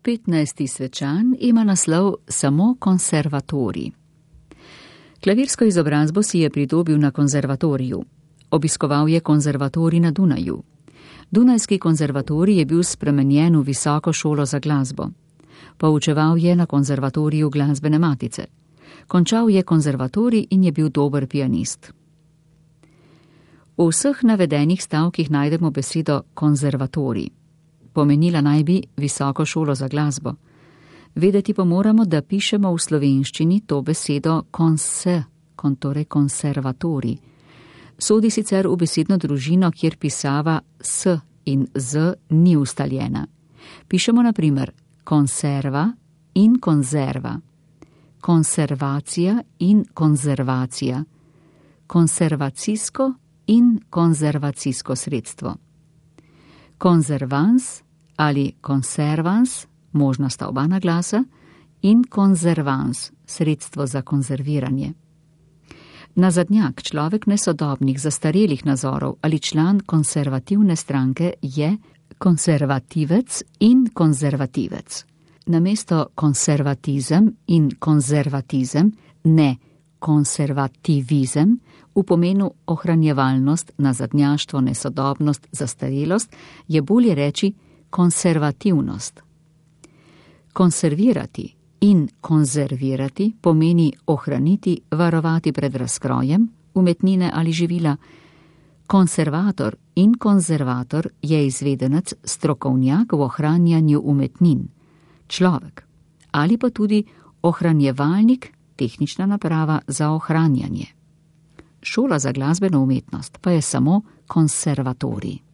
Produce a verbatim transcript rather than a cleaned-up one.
petnajsti svečan ima naslov Samo konservatorij. Klavirsko izobrazbo si je pridobil na konzervatoriju. Obiskoval je konzervatorij na Dunaju. Dunajski konzervatorij je bil spremenjen v visoko šolo za glasbo. Poučeval je na konzervatoriju glasbene matice. Končal je konzervatorij in je bil dober pianist. V vseh navedenih stavkih najdemo besedo konzervatorij. Pomenila naj bi visoko šolo za glasbo. Vedeti pa moramo, da pišemo v slovenščini to besedo konse, torej konservatorij. Sodi sicer v besedno družino, kjer pisava s in z ni ustaljena. Pišemo na primer konserva in konzerva, konservacija in konzervacija, konservacijsko in konzervacijsko sredstvo. Konzervans ali konservans, možna sta oba naglasa, in konzervans, sredstvo za konzerviranje. Nazadnjak, človek nesodobnih, zastarelih nazorov ali član konservativne stranke je konservativec in konzervativec. Namesto konservatizem in konzervatizem, ne konservativizem, v pomenu ohranjevalnost, nazadnjaštvo, nesodobnost, zastarelost, je bolje reči konservativnost. Konservirati in konzervirati pomeni ohraniti, varovati pred razkrojem, umetnine ali živila. Konservator in konzervator je izvedenec, strokovnjak v ohranjanju umetnin, človek, ali pa tudi ohranjevalnik, tehnična naprava za ohranjanje. Šola za glasbeno umetnost pa je samo konservatorij.